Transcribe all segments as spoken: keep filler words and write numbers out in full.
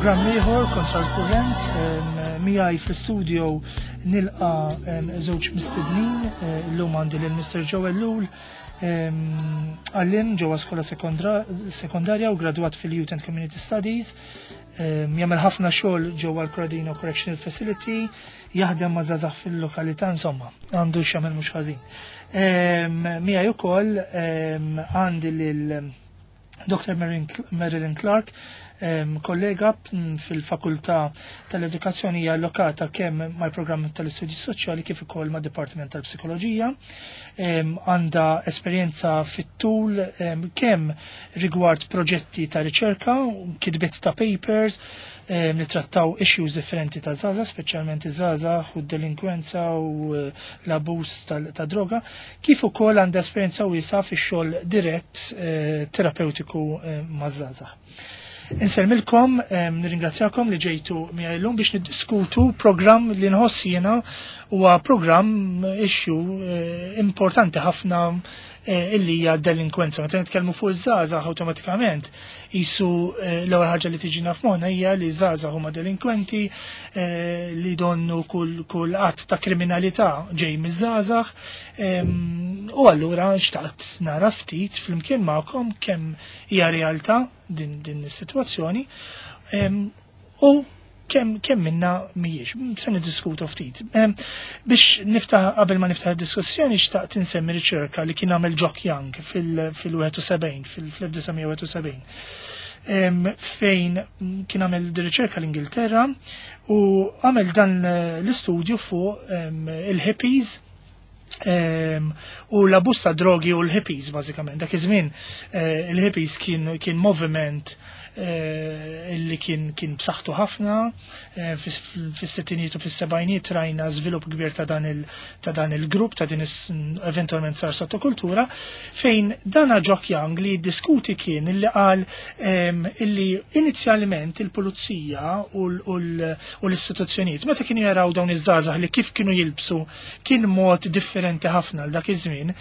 Programm ieħor Kontra l-Kurrent. Miegħi fl-studio nilqa żewġ mistednin. Illum għandi lil Mister Joe Ellul, għalliem ġewwa skola sekondarja u gradwat fil-Youth and Community Studies. Jagħmel ħafna xogħol ġewwa l-Corradino Correctional Facility, jaħdem ma' żgħażagħ fil-lokalità, insomma, għandu x'jagħmel mhux ħażin. Miegħi ukoll għandi lil Doctor Marilyn Clark, kollega fil-Fakultà tal-Edukazzjoni, hija allokata kemm mal-programm tal-Istudji Soċjali kif ukoll mad-Dipartiment tal-Psikoloġija. Għandha esperjenza fit-tul kemm rigward proġetti ta' riċerka, kitbiet ta' papers li trattaw issues differenti ta' żgħażagħ, speċjalment iż-żgħażagħ u d-delinkwenza u l-abbuż ta' droga, kif ukoll għandha esperjenza wiesgħa fix-xogħol dirett terapeutiku maż-żgħażagħ. Insellmilkom, nirringrazzjakom li ġejtu miegħi llum biex niddiskutu programm li nħoss jiena huwa programm issue importanti ħafna, illi hija delinkwenza. Meta nitkellmu fuq iż-żgħażagħ, awtomatikament qisu l-ewwel ħaġa li tiġina f'moħħna hija li żgħażagħ huma delinkwenti, li donnu kull kull att ta' kriminalità ġej miż-żgħażagħ. U allura xtaqt nara ftit flimkien magħkom kemm hija realtà din din is-sitwazzjoni u kemm kemm minna mhijiex. Se niddiskutu ftit. Biex niftaħ, qabel ma niftaħ id-diskussjoni, xtaqt insemmi riċerka li kien għamel Jock Young fil-wieħed u sebgħin, fil-elf disa' mija wieħed u sebgħin, fejn kien għamel riċerka l-Ingilterra u għamel dan l-istudju fuq il-hippies u l-abbuż ta' drogi u l-hippies bażikament. Dak iż-żmien il-hippies kien kien moviment illi kien kien b'saħħtu ħafna. Fis-sittinijiet u fis-sebgħinijiet rajna żvilupp kbir ta' dan il ta' dan il-grupp, ta' din eventualment sar sottokultura, fejn dana Jock Young li diskuti kien illi qal illi inizjalment il-pulizija u l-istituzzjonijiet, meta kienu jaraw dawn iż-żgħażagħ li kif kienu jilbsu kien mod differenti ħafna l dak iż-żmien,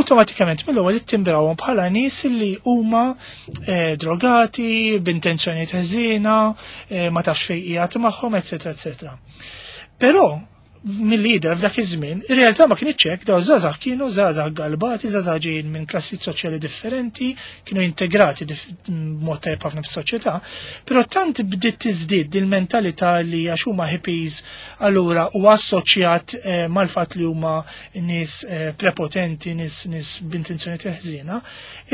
awtomatikament mill-ewwel ittimbrawhom bħala nies li huma drogati, b'intenzjoni ħżiena, ma tafx fejn qiegħed magħhom, eċetera, eċetera. Però mill-lider f'dak iż-żmien, ir-realtà ma kienx hekk. Daw żgħażagħ kienu żgħażagħ galbati, żgħażagħ ġejjin minn klassi soċjali differenti, kienu integrati b'mod tajjeb ħafna fis-soċjetà, però tant bdiet tiżdied il-mentalità li għax huma hippies allura u assoċjat mal-fatt li huma nies prepotenti, nies nies b'intenzjoni ħżiena,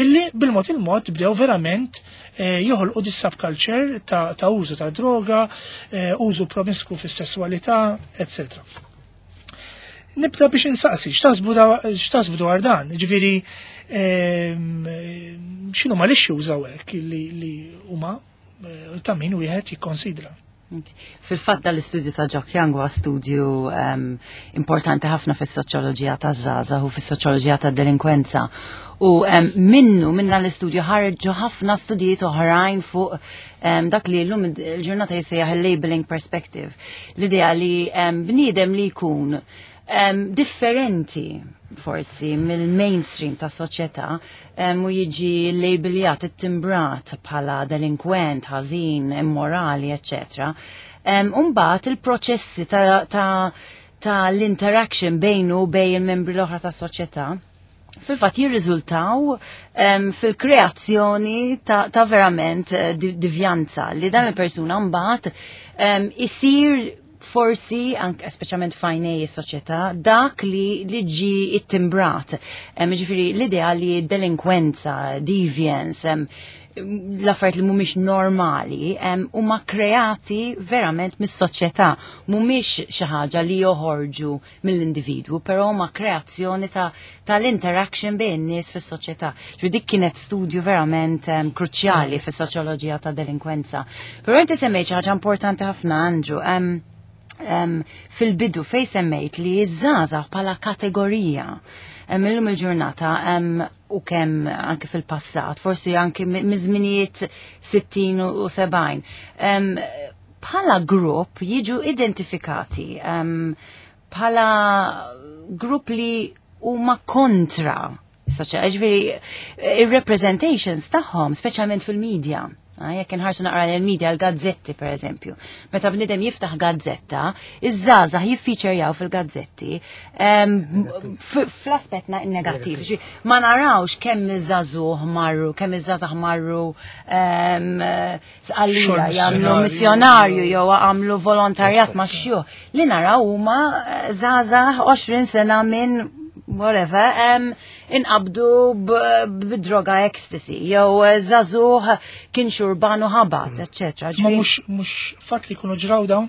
illi bil-mod il-mod bdew verament joħolqu dis subculture ta', ta' użu ta' droga, użu promisku fis-sessualità, eċċetera. Nibda biex insaqsi, x'taħsbu dwar dan? Ġifieri, x'inhu ma l-issues hawnhekk li li huma ta' min wieħed jikkonsidra? Fil-fatt, dal-istudju ta' Jock Young huwa studju um, importanti ħafna fis-soċjoloġija ta' żgħażagħ u fis-soċjoloġija ta' delinkwenza. U um, minnu, minn dan l-istudju ħarġu ħafna studijiet oħrajn fuq um, dak li llum il-ġurnata jissejjaħ il-labeling perspective. L-idea li um, bniedem li jkun um, differenti forsi mill-mainstream ta' soċjetà um, u jiġi labeljat, ittimbrat bħala delinkwent, ħażin, immorali, eċċetera. Um, Umbagħad il-proċessi ta', ta, ta l-interaction bejnu u bejn il-membri l-oħra ta' soċjetà fil-fatt jirriżultaw um, fil-kreazzjoni ta', ta verament uh, divjanza li dan il-persuna mbagħad um, isir forsi, anke speċjalment f'għajnejn is-soċjetà, dak li li ġi ittimbrat. Ġifieri l-idea li delinkwenza, deviance, l-affarijiet li mhumiex normali huma kreati verament mis-soċjetà, mhumiex xi ħaġa li joħorġu mill-individwu, però huma kreazzjoni ta' tal-interaction bejn nies fis-soċjetà. Ġifieri dik kienet studju verament um, kruċjali fis-soċjoloġija ta' delinkwenza. Però inti semmejt xi ħaġa importanti ħafna, Andrew. Um, um, fil-bidu fej semmejt li iż-żgħażagħ bħala kategorija illum il-ġurnata um, u kemm anke fil-passat, forsi anke miż-żminijiet sittin u sebgħin, um, bħala grupp jiġu identifikati um, bħala grupp li huma kontra. Ġifieri, il-representations tagħhom, speċjalment fil-media, Ah, jekk inħarsu naqra l-media, l-gazzetti per eżempju. Meta bnidem jiftaħ gazzetta, iż-żgħażagħ jiffeaturjaw fil-gazzetti em, f- fl-aspett na- negattiv. Ġi, ma narawx kemm iż-żagħżugħ marru, kemm iż-żgħażagħ marru em, Sqallija Xogħol jagħmlu missjonarju. missjonarju jew għamlu volontarjat ma' xjuħ. Li naraw huma eh, żgħażagħ għoxrin sena minn whatever, um, inqabdu b'droga ecstasy, jew eh, żagħżugħ kien xurbanu ħabat, eccetera. Ma mhux mhux fatt li jkunu ġraw dawn?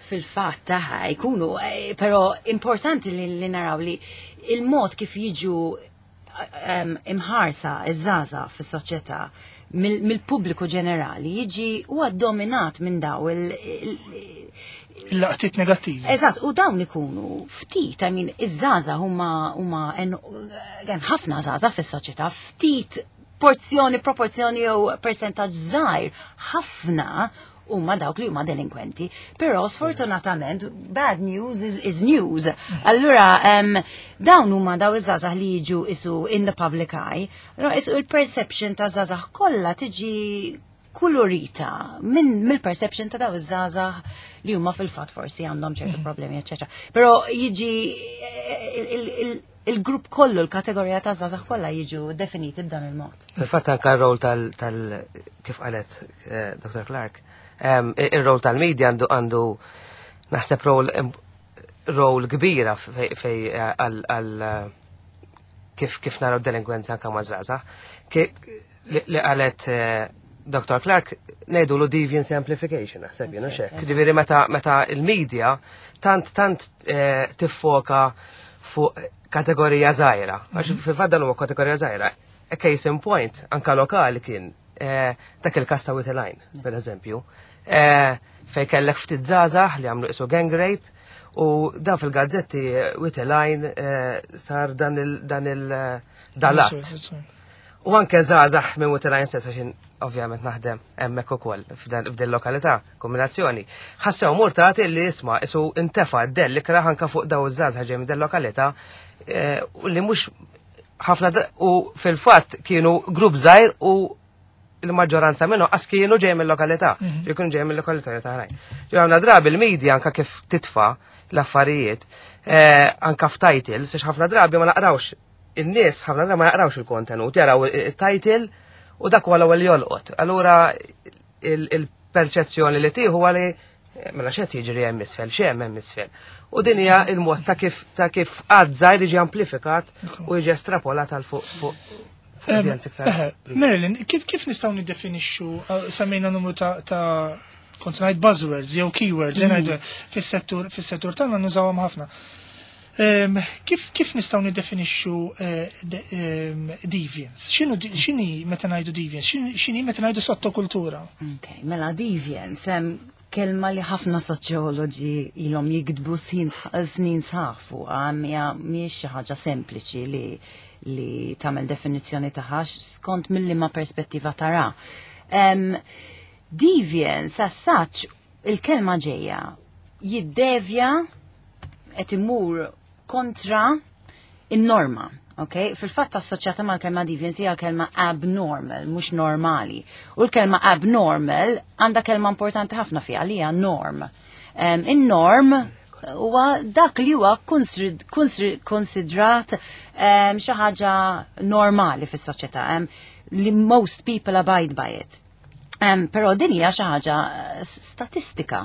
Fil-fatt taħ jkunu, eh, però importanti li, li naraw li il-mod kif jiġu um, imħarsa iż-żgħażagħ fis-soċjetà mill- mill-pubbliku ġenerali jiġi huwa dominat minn daw il- il- Il-laqtiet negattivi. Eżatt, u dawn ikunu ftit, I mean, iż-żgħażagħ huma huma en- hemm ħafna żgħażagħ fis-soċjetà, ftit porzjoni, proporzjoni jew percentaġġ żgħir, ħafna huma dawk li huma delinkwenti. Però sfortunatament bad news is, is news. Allura um, dawn huma daw iż-żgħażagħ li jiġu isu in the public eye. Allura isu il-perception ta' żgħażagħ kollha tiġi kulurita minn mill-perception ta' daw iż-żgħażagħ li huma fil-fatt forsi għandhom ċertu problemi, eċetera. Però jiġi il- il- il-grupp kollu, l-kategorija ta' żgħażagħ kollha jiġu definiti b'dan il-mod. Fil-fatt anka r-rol tal, tal kif qalet eh, Doctor Clark, em, ir-rol tal-media għandu għandu naħseb rol im- rol kbira fej fej, eh, għal għal eh, kif kif naraw delinkwenza anka ma' żgħażagħ. Ki- Li li qalet eh, Doctor Clark ngħidu lu deviance amplification, naħseb jiena xek. Ġifieri meta meta il-media tant tant eh, tiffoka fuq kategorija żgħira. Għax fil-fatt dan huwa kategorija żgħira. A case in point, anka lokali kien eh, dak il-kas ta' Wied il-Għajn, per eżempju, eh, fej kellek ftit żgħażagħ li għamlu isu gang rape u da fil-gazzetti eh, Wied il-Għajn eh, sar dan il dan il eh, dalat. U anke żgħażagħ minn Wied il-Għajn stess, għax ovvjament naħdem hemmhekk ukoll f'dan f'din lokalità, kombinazzjoni. Ħassew murtati li isma' isu intefa' dell ikrah anka fuq daw iż-żgħażagħ ġej minn din lokalità eh, u li mhux ħafna dra- u fil-fatt kienu grupp żgħir u il-maġġoranza minnhom qas kienu ġej mill-lokalità, mm kienu ġej mill-lokalità ta' oħrajn. Ġej drabi il-media anka kif titfa' l-affarijiet, eh, anka f'titles, għax ħafna drabi ma naqrawx in-nies, ħafna drabi ma jaqrawx il-kontenut, jaraw il-title u dak huwa l-ewwel jolqot. Allura il-perċezzjoni li tieħu huwa li eh, mela x'qed jiġri hemm isfel, x'hemm hemm isfel. U din hija il-mod ta' kif ta' kif għadża jiġi amplifikat u jiġi estrapolat għal fuq fuq fuq udjenza iktar. Eħe, Marilyn, kif kif nistgħu niddefinixxu, eh, semmejna numru ta' ta' kont ngħid buzzwords jew keywords, mm. ngħidu fis-settur fis-settur tagħna nużawhom ħafna. Em, Kif kif nistgħu niddefinixxu eh, de- em, deviance? X'inhu di- x'inhi meta ngħidu deviance? X'inhi x'inhi meta ngħidu sottokultura? Ok, mela deviance, hemm kelma li ħafna soċjoloġi ilhom jiktbu snin snin sħaħ fuqha, mija mhijiex xi ħaġa sempliċi li li tagħmel definizzjoni tagħha skont mill-liema perspettiva tara. Um, deviance as such, il-kelma ġejja jiddevja, qed imur kontra in-norma. Okay? Fil-fatt assoċjata mal-kelma deviance hija kelma abnormal, mhux normali. U l-kelma abnormal għandha kelma importanti ħafna fiha li hija norm. Um, In-norm huwa dak li huwa konsid- konsid- konsidrat um, xi ħaġa normali fis-soċjetà, um, li most people abide by it. Um, però din hija xi ħaġa eh, statistika,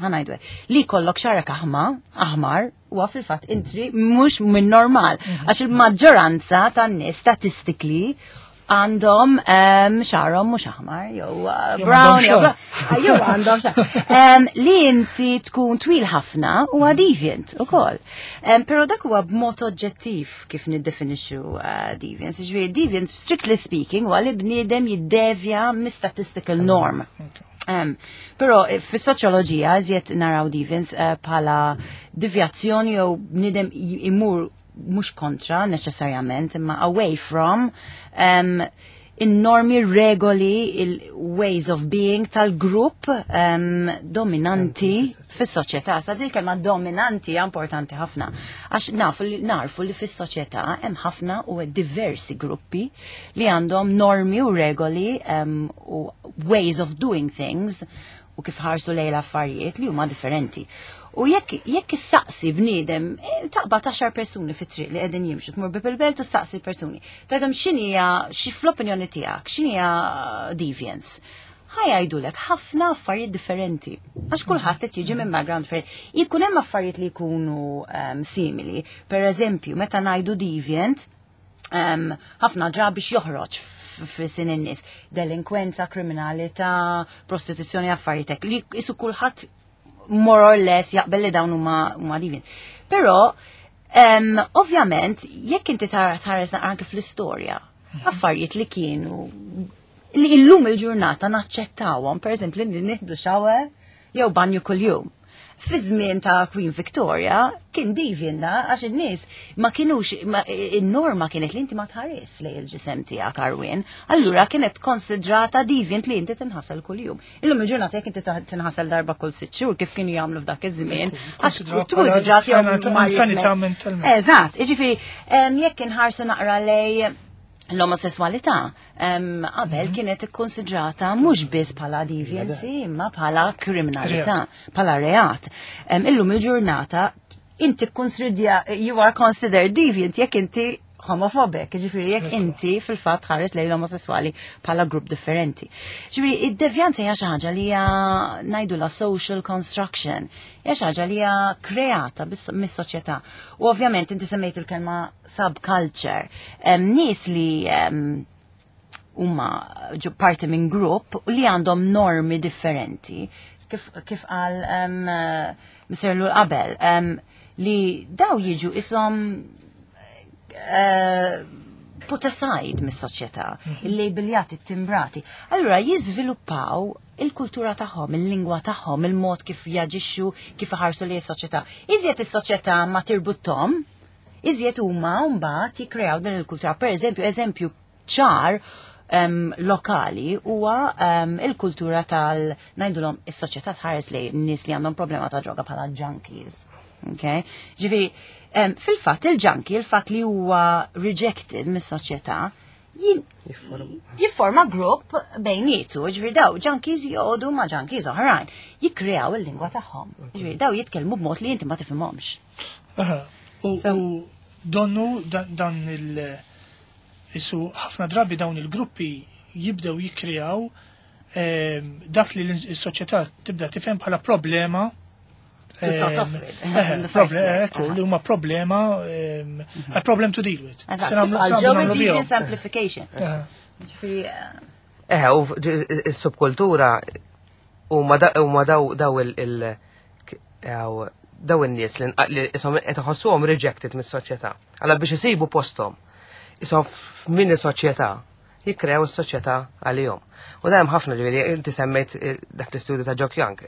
ħa ngħidu hekk. Li kollok xagħrek aħma, aħmar, huwa fil-fatt intri mhux minn normal. Għax il-maġġoranza tan-nies statistically għandhom um, xagħarhom mhux aħmar, jew uh, Jew brown, għandhom jew xagħar. bla- jew għandhom xagħar. Um, li inti tkun twil ħafna huwa deviant ukoll. Um, però dak huwa b'mod oġġettiv kif niddefinixxu uh, deviance. Ġifieri deviant, strictly speaking, huwa li bniedem jiddevja mis-statistical norm. Um, però eh, fis-soċjoloġija iżjed naraw deviance uh, bħala devjazzjoni jew bniedem j- imur mhux kontra neċessarjament imma away from um, In-normi, regoli, il-ways of being tal-grupp um, dominanti fis-soċjetà. Sa din kelma dominanti hija importanti ħafna. Għax nafu li narfu li fis-soċjetà hemm ħafna u diversi gruppi li għandhom normi u regoli um, u ways of doing things u kif ħarsu lejn l-affarijiet li huma differenti. U jekk jekk issaqsi bniedem, eh, taqbad għaxar persuni fit-triq li qegħdin jimxu, tmur bieb il-belt u staqsi persuni. Tgħidhom x'inhija xi fl-opinjoni tiegħek, x'inhija deviance. Ħa jgħidulek ħafna affarijiet differenti. Għax kulħadd qed jiġi minn background differenti. Jkun hemm affarijiet li jkunu um, simili. Per eżempju, meta ngħidu deviant, um, ħafna drabi x'joħroġ f'sin in-nies. Delinkwenza, kriminalità, prostituzzjoni, affarijiet hekk. Li isu kulħadd more or less jaqbel li dawn huma huma deviant. Però um, ovvjament jekk inti tara tħares anke fl-istorja, affarijiet li kienu li illum il-ġurnata naċċettawhom, per eżempju li nieħdu shower jew banju kuljum. Fi żmien ta' Queen Victoria kien deviant da għax in-nies ma kienux ma- in-norma kienet li inti ma tħares lejn il-ġisem tiegħek għarwien, allura kienet konsidrata deviant li inti tinħasel kuljum. Illum il-ġurnata jekk inti ta- tinħasel darba kull sitt xhur kif kienu jagħmlu f'dak iż-żmien, għax Konsidrata tkun konsidrati jew sanità- marijiet sanità me- mentalment. Eżatt, jiġifieri em, jekk inħarsu naqra lej l-omosessualità em, qabel kienet ikkonsidrata mhux biss bħala deviancy imma bħala kriminalità, bħala reat. Em, Illum il-ġurnata inti konsidra you are considered deviant jekk inti homophobic, ġifieri jekk inti fil-fatt tħares lejn l-omosessuali bħala grupp differenti. Ġifieri id-devjanza hija xi ħaġa li hija ngħidu la social construction, hija xi ħaġa li hija kreata bis- mis-soċjetà. U ovvjament inti semmejt il-kelma subculture. Em, Nies li em, huma ġu parti minn grupp u li għandhom normi differenti. Kif, kif qal um, Mister Lul qabel, um, li daw jiġu isom uh, put aside mis-soċjetà, il-labeljati, timbrati. Allura jiżviluppaw il-kultura tagħhom, il-lingwa tagħhom, il-mod kif jaġixxu, kif iħarsu li s-soċjetà. Iżjed is-soċjetà ma tirbutthom, iżjed huma mbagħad jikkreaw din il-kultura. Per eżempju, eżempju ċar um, lokali huwa um, il-kultura tal ngħidulhom is-soċjetà tħares li nies li għandhom problema ta' droga bħala junkies. Okay? Ġifieri, um, fil-fatt il-junkie, il-fatt li huwa rejected mis-soċjetà, jin- jifforma grupp bejnietu, ġifieri daw junkies joqogħdu ma' junkies oħrajn, jikkreaw il-lingwa tagħhom. Ġifieri daw jitkellmu b'mod li inti ma tifhimhomx. Aha. U So- u donnu dan, dan il- isu ħafna drabi dawn il-gruppi jibdew jikkreaw ehm, dak li l-soċjetà tibda tifhem bħala problema. To start ehm, off with, eh, in the first proble- place. Ekku, li huma problema, ehm, a problem to deal with. Eżatt, Se nagħmlu- kif se qal Joey, nagħmlu bihom. deviance amplification. Eh, Ġifieri, eh, Eh, u il-subkultura huma da- huma daw daw il- il għaw, daw in-nies li nqa- li isom qed iħossuhom rejected mis-soċjetà. Alla biex isibu posthom. Isom f'mini soċjetà jikkrew is-soċjetà għalihom. U da hemm ħafna, ġifieri inti semmejt eh, dak l-istudju ta' Jock Young.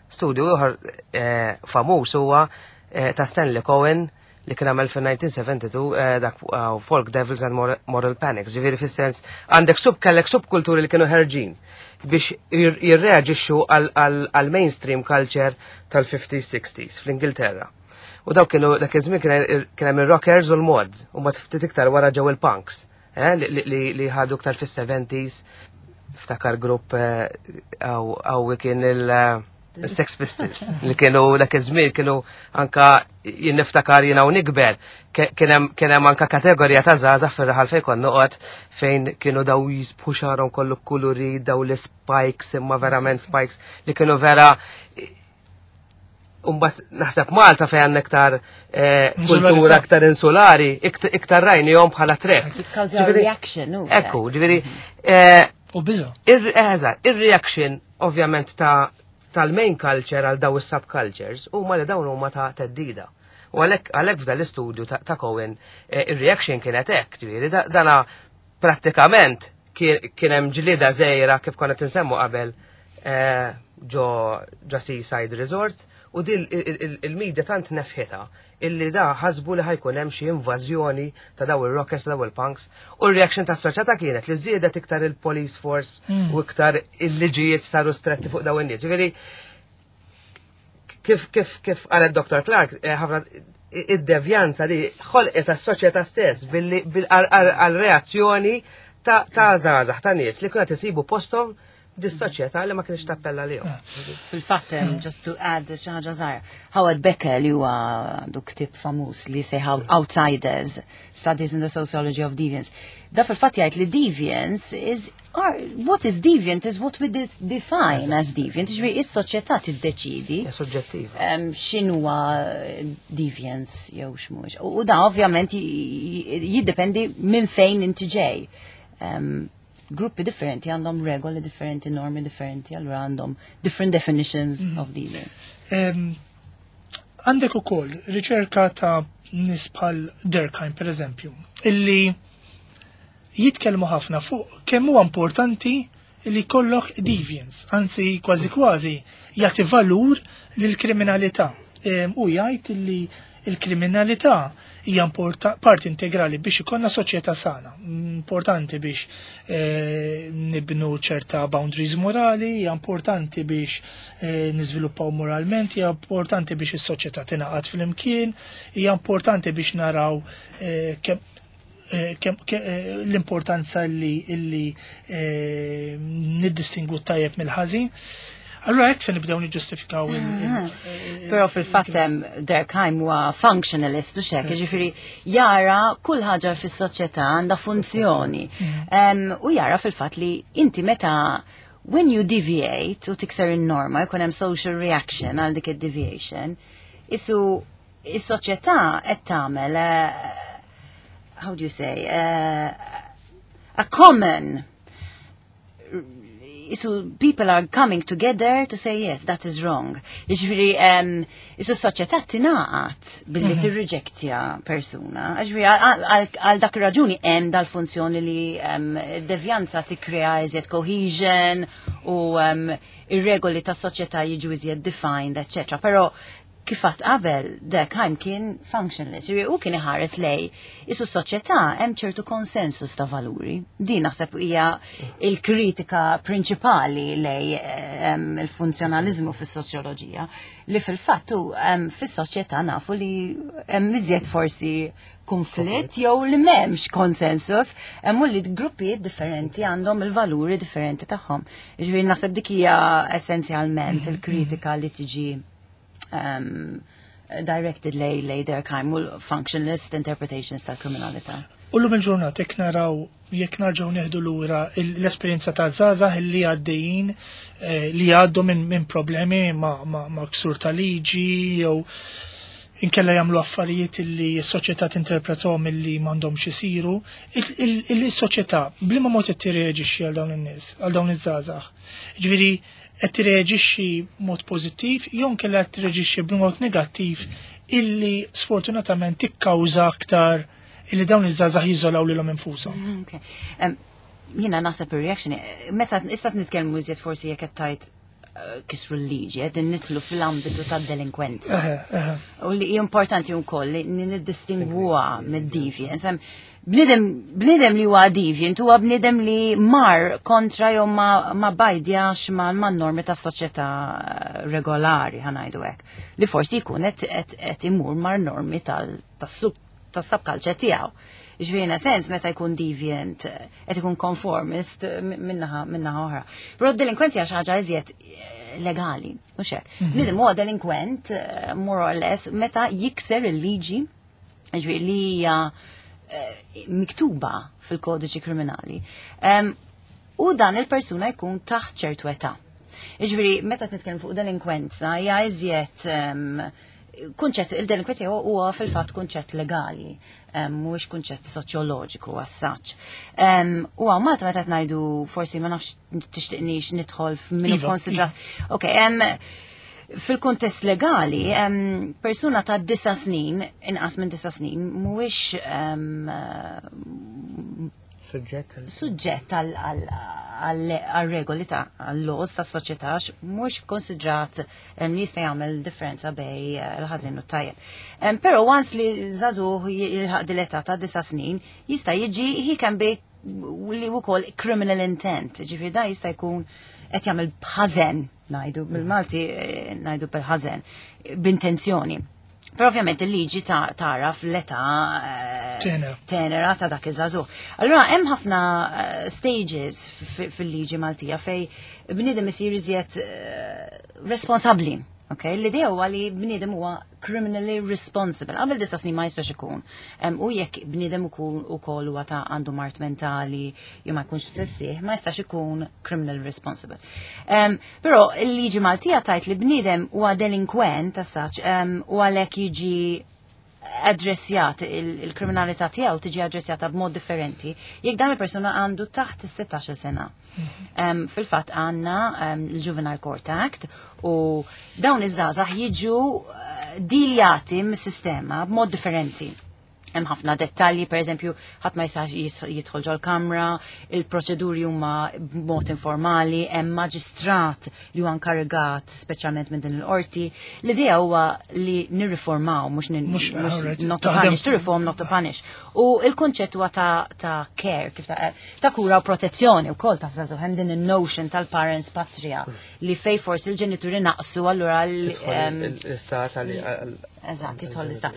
Studju ieħor eh, famuż huwa eh, ta' Stanley Cohen li kien għamel fil-elf disa' mija u tnejn u sebgħin eh, dak uh, Folk Devils and Moral, Moral Panics. Ġifieri fis-sens għandek sub kellek subkulturi li kienu ħerġin biex jir- jirreaġixxu għal mainstream culture tal-fifties sixties fl-Ingilterra. U daw kienu dak iż-żmien kien kien hemm ir-rockers u l-mods, u ma ftit iktar wara ġew il-punks, eh, li- li li- li ħadu iktar fis-seventies. Ftakar grupp eh, għaw għaw kien il- eh, il-Sex Pistols li kienu dak iż-żmien kienu anka jien niftakar jiena u nikber ke- kien hemm kien hemm anka kategorija ta' żgħażagħ fir-raħal fejn kont noqgħod fejn kienu daw jisbħu xagħarhom kollu kuluri, daw l-spikes, imma verament spikes li kienu vera. Umbat naħseb Malta fejn għandna iktar eh, Insularità. kultura aktar insulari, ikt- iktar rajnihom bħala threat. Jikkawżaw Ġifieri- reaction, u Ekku, ġifieri, eh, U biża. Ir- Eżatt, ir-reaction ovvjament ta' tal-main culture għal daw is-subcultures huma li dawn huma ta' teddida. U għalhekk għalhekk f'dan l-istudju ta', ta' Cohen eh, ir-reaction kienet hekk, ġifieri da- dana prattikament kien kien hemm ġlieda żgħira kif konna tinsemmu qabel eh, ġo ġo Seaside Resort. U dil il-media tant nefħita illi da ħasbu li ħa jkun hemm xi invażjoni ta' daw il-rockers, ta' daw il-punks. U r-reaction ta' soċjetà kienet li żiedet iktar il-police force u iktar il-liġijiet saru stretti fuq daw in-nies. Ġifieri kif kif kif qalet Doctor Clark, eh, ħafna id-devjanza li ħolqet tas-soċjetà stess billi għal-reazzjoni ta' ta' żgħażagħ, ta' nies li kienu isibu posthom dis-soċjetà li ma kienx tappella lihom. Fil-fatt, um, just to add xi ħaġa żgħira, Howard Becker, li huwa għandu ktib famuż li sejħa Outsiders, Studies in the Sociology of Deviance. Da fil-fatt jgħid li deviance is are, what is deviant is what we de define as deviant, ġifieri is-soċjetà tiddeċidi Hija soġġettiva. um, x'inhuwa deviance jew x'mhux. U u da ovvjament j- jiddependi minn fejn inti ġej. Um, gruppi differenti għandhom regoli differenti, normi differenti, allura għandhom different definitions of deviance. Em, Għandek ukoll riċerka ta' nies bħal Durkheim, per eżempju, illi jitkellmu ħafna fuq kemm huwa importanti li jkollok deviance, anzi kważi kważi jagħti valur lill-kriminalità. Em, U jgħid li il-kriminalità hija importa- parti integrali biex ikollna soċjetà sana. Importanti biex eh, nibnu ċerta boundaries morali, hija importanti biex eh, niżviluppaw moralment, hija importanti biex is-soċjetà tingħaqad flimkien, hija importanti biex naraw eh, kemm eh, kem, ke, eh, l-importanza li, illi eh, niddistingu tajjeb mill-ħażin. Allura hekk se nibdew niġġustifikaw il- il- Però fil-fatt hemm Durkheim huwa functionalist u xek, ġifieri jara kull ħaġa fis-soċjetà għandha funzjoni. Em, U jara fil-fatt li inti meta when you deviate u tikser in-norma jkun hemm social reaction għal dik id-deviation, isu is-soċjetà qed tagħmel eh, how do you say, uh, a common, isu people are coming together to say, "Yes, that is wrong." Ġifieri, um, isu soċjetà tingħaqad billi tirriġektja persuna. Ġifieri, għal għal dak ir-raġuni hemm dal-funzjoni li um, devjanza tikkrea iżjed cohesion u um, ir-regoli ta' soċjetà jiġu iżjed defined, et cetera. Però kif għedt qabel, Durkheim kien functionalist, ġifieri u kien iħares lej isu soċjetà hemm ċertu konsensus ta' valuri. Din naħseb hija il-kritika prinċipali lej em, il-funzjonalizmu fis-soċjoloġija, li fil-fatt hu, em, fis-soċjetà nafu li hemm iżjed forsi konflitt jew li m'hemmx konsensus, hemm u li gruppi differenti għandhom il-valuri differenti tagħhom. Ġifieri naħseb dik hija essenzjalment il-kritika li tiġi um, directed lej lej Durkheim u l-functionalist interpretations tal-kriminalità. U llum il-ġurnata jekk naraw, jekk narġgħu neħdu lura l-esperjenza ta' żgħażagħ li għaddejjin eh, li għaddu minn min problemi ma', ma, ma ksur ta' liġi jew inkella jagħmlu affarijiet li s-soċjetà tinterpretahom illi m'għandhomx isiru, il-soċjetà b'liema mod qed tirreaġixxi għal dawn in-nies, għal dawn iż-żgħażagħ? Ġifieri qed tirreaġixxi mod pożittiv jew inkella qed tirreaġixxi b'mod negattiv illi sfortunatament tikkawża aktar illi dawn iż-żgħażagħ jiżolaw lilhom infushom? Okay. Um, Jiena naħseb ir-reaction, meta issa nitkellmu iżjed forsi jekk qed tgħid eh, kisru l-liġi, qed nidħlu fil-ambitu tad-delinkwenza. Eħe, eħe. U li hija importanti wkoll li niddistingwuha mid-deviance. Hemm Bniedem bniedem li huwa deviant huwa bniedem li mar kontra jew ma, ma bajdjax ma, ma normi tas soċjetà regolari, ħa ngħidu hekk. Li forsi jkun qed qed qed imur mar normi tal tas-sub tas-subculture tiegħu. Ġifieri in a sens meta jkun deviant eh, qed ikun conformist eh, minnaħa minnaħa oħra. Però d-delinkwenzi hija xi ħaġa iżjed eh, legali, mhux hekk. Bniedem huwa delinkwent eh, more or less meta jikser il-liġi, ġifieri li hija eh, miktuba fil-kodiċi kriminali. Em, U dan il-persuna jkun taħt ċertu età. Ġifieri, meta nitkellem fuq delinkwenza, hija iżjed em, kunċett, il-delinkwenza huwa huwa fil-fatt kunċett legali, em, mhuwiex kunċett soċjoloġiku as such. Em, U hawn Malta meta qed ngħidu, forsi ma nafx tixtiqnix nidħol f'minu Iva, konsidrat. Ok, em, fil-kuntest legali, em, persuna ta' disa snin, inqas minn disa snin, mhuwiex em, Suġġett għal- suġġett għal- għal għal-regoli ta' għall-laws ta' soċjetà mhux konsidrat li jista' jagħmel differenza bejn il-ħażin u t-tajjeb. Però once li żagħżugħ jilħaq dil-età ta' disa' snin, jista' jiġi he can be li wkoll criminal intent, ġifieri da jista' jkun qed jagħmel b'ħażen, ngħidu bil-Malti ngħidu bil-ħażen, b'intenzjoni. Però ovvjament il-liġi tara fl-età tenera ta' dak iż-żagħżugħ. Allura hemm ħafna stages fil-liġi Maltija fej bniedem isir iżjed responsabbli. Okay, l-idea huwa li bniedem huwa criminally responsible. Qabel disa' snin ma jistax ikun. U jekk bniedem ukoll huwa ta' għandu mard mentali jew ma jkunx f'sensih, ma jistax ikun criminally responsible. Però il-liġi Maltija tajt li bniedem huwa delinkwent as such u għalhekk jiġi addressjat il-kriminalità tiegħu tiġi addressjata b'mod differenti jekk dan il-persuna għandu taħt is-sittax-il sena. Fil-fatt għandna l-Juvenile Court Act u dawn iż-żgħażagħ jiġu diljati mis-sistema b'mod differenti. Hemm ħafna dettalji, per eżempju, ħadd ma jistax jidħol ġol-kamra, il-proċeduri huma b'mod informali, hemm maġistrat li huwa inkarigat speċjalment minn din il-qorti. L-idea huwa li nirriformaw, mhux not to punish, to reform, not to punish. U il-kunċett huwa ta' ta' care, kif ta' ta' kura u protezzjoni wkoll ta' żagħżugħ, hemm din in-notion tal-parens patria li fej forsi l-ġenituri naqsu allura l-istat għal Eżatt, jidħol l-istat.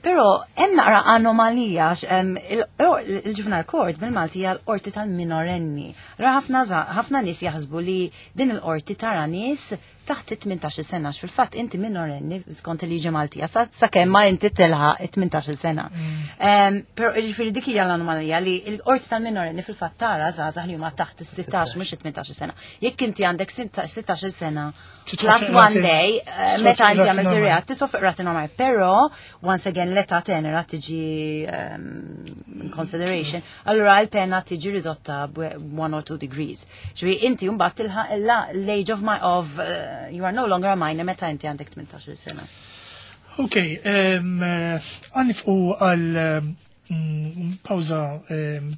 Però hemm naqra anomalija il-Juvenile Court bil-Malti hija l-qorti tal-minorenni. Allura ħafna ħafna nies jaħsbu li din il-qorti tara nies taħt it-tmintax-il sena, għax fil-fatt inti minorenni skont il-liġi Maltija sakemm ma inti tilħaq it-tmintax-il sena. Però jiġifieri dik hija l-anomalija li l-qorti tal-minorenni fil-fatt tara żgħażagħ li huma taħt is-sittax mhux it-tmintax-il sena. Jekk inti għandek sittax-il sena plus one day, meta inti għamilt ir-reat, tidħol fuq rati normali. Però once again l-età tenera tiġi in consideration, allura l-pena tiġi ridotta one or two degrees. Ġifieri inti mbagħad tilħaq l-age of my of you are no longer a minor meta inti għandek tmintax-il sena. Ok, għanifqu għal pawza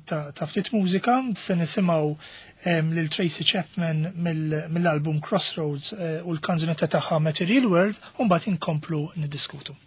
ta' ftit mużika, se nisimgħu lil Tracy Chapman mill-album Crossroads u l-kanzunetta tagħha Material World, u mbagħad inkomplu niddiskutu.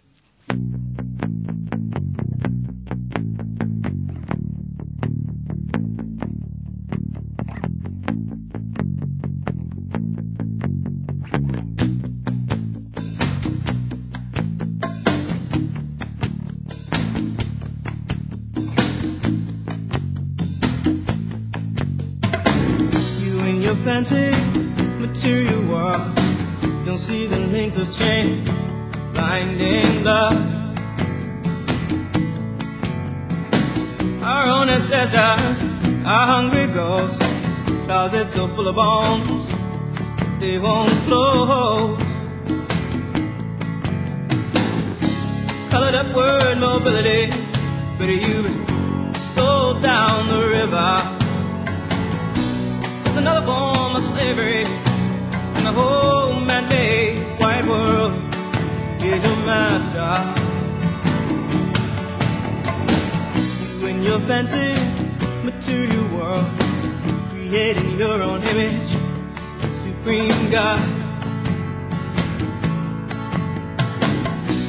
Fancy material world, don't see the links of chain blinding love. Our own ancestors, our hungry ghosts, closets so full of bones, they won't close. Colored up word mobility, but you've been sold down the river. Another form of slavery, and the whole man-made white world is your master. You and your fancy material world, creating your own image, the supreme God.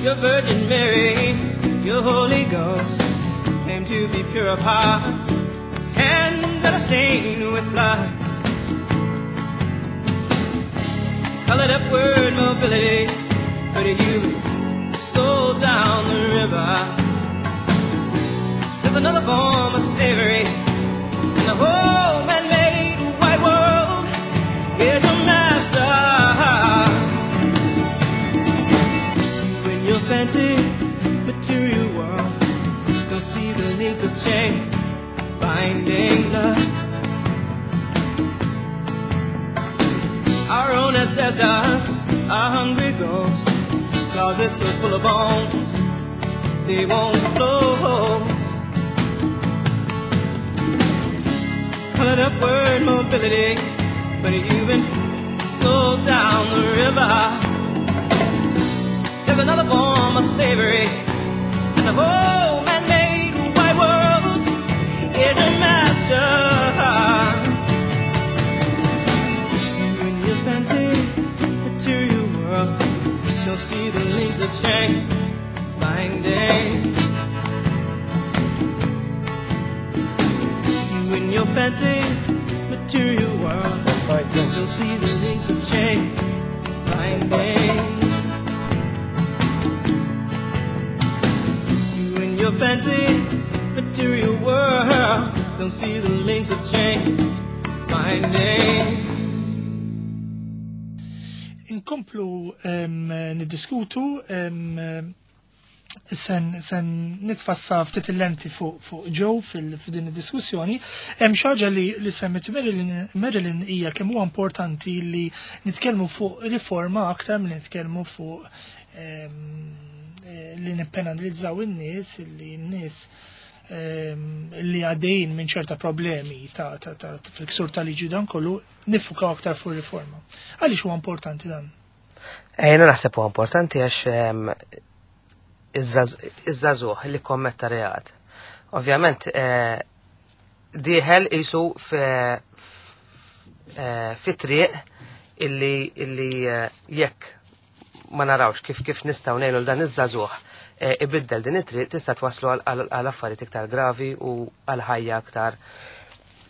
Your Virgin Mary, your Holy Ghost, claim to be pure of heart, hands that are stained with blood. Colored up word mobility, but you sold down the river. There's another form of slavery, and the whole man-made white world is a master. You and your fancy material world don't see the links of chain binding love. Our own ancestors, our hungry ghosts, closets so full of bones, they won't close. Colored up word mobility, but you've been sold down the river. There's another form of slavery, and the whole man-made white world is a master. see the links of chain binding. You in your fancy material world, you'll see the links of chain binding. You in your fancy material world, don't see the links of chain binding. Inkomplu niddiskutu, sen, sen nitfassa ftit il-lenti fuq fu Joe fil-din id-diskussjoni. Hemm xi ħaġa li, li semmit Marilyn, Marilyn hija kemm huwa importanti li nitkellmu fuq riforma aktar milli nitkellmu fuq li nippenalizzaw in-nies, li n-nies li għaddejjin minn ċerta problemi ta', ta, ta, fil-ksur tal-liġi dan kollu, nifukaw aktar fuq riforma. Għaliex huwa importanti dan? Jiena naħseb huwa importanti għax iż-żagħżugħ li kommetta reat. Ovvjament dieħel isu fi triq illi illi jekk ma narawx kif kif nistgħu ngħinu l dan iż-żagħżugħ ibiddel din it-triq tista' twaslu għal affarijiet iktar gravi u għal ħajja aktar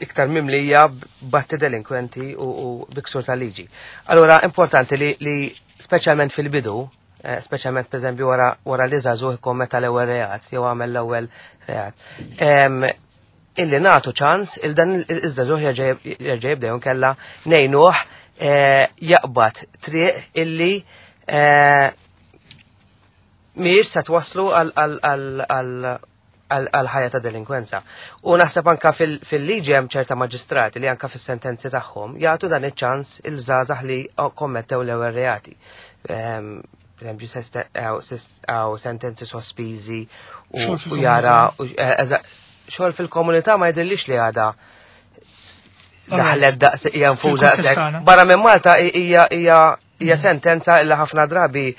iktar mimlija b'atti delinkwenti u biksur tal-liġi. Allura importanti li, li speċjalment fil-bidu, speċjalment pereżempju wara wara li żagħżugħ ikkommetta l-ewwel reat jew għamel l-ewwel reat. Illi nagħtu ċans il dan iż-żagħżugħ jerġa' jibda jew inkella ngħinuh jaqbad triq illi mhijiex se twaslu għal ħajja ta' delinkwenza. U naħseb anka fil-liġi hemm ċerta maġistrati li anka fis-sentenzi tagħhom jagħtu dan iċ-ċans il-żgħażagħ li kommettew l-ewwel reati. Per eżempju, hawn sentenzi sospiżi u jara xogħol fil-komunità ma jidhirlix li għadha daħlet daqs hija nfuża. Barra minn Malta hija hija hija sentenza li ħafna drabi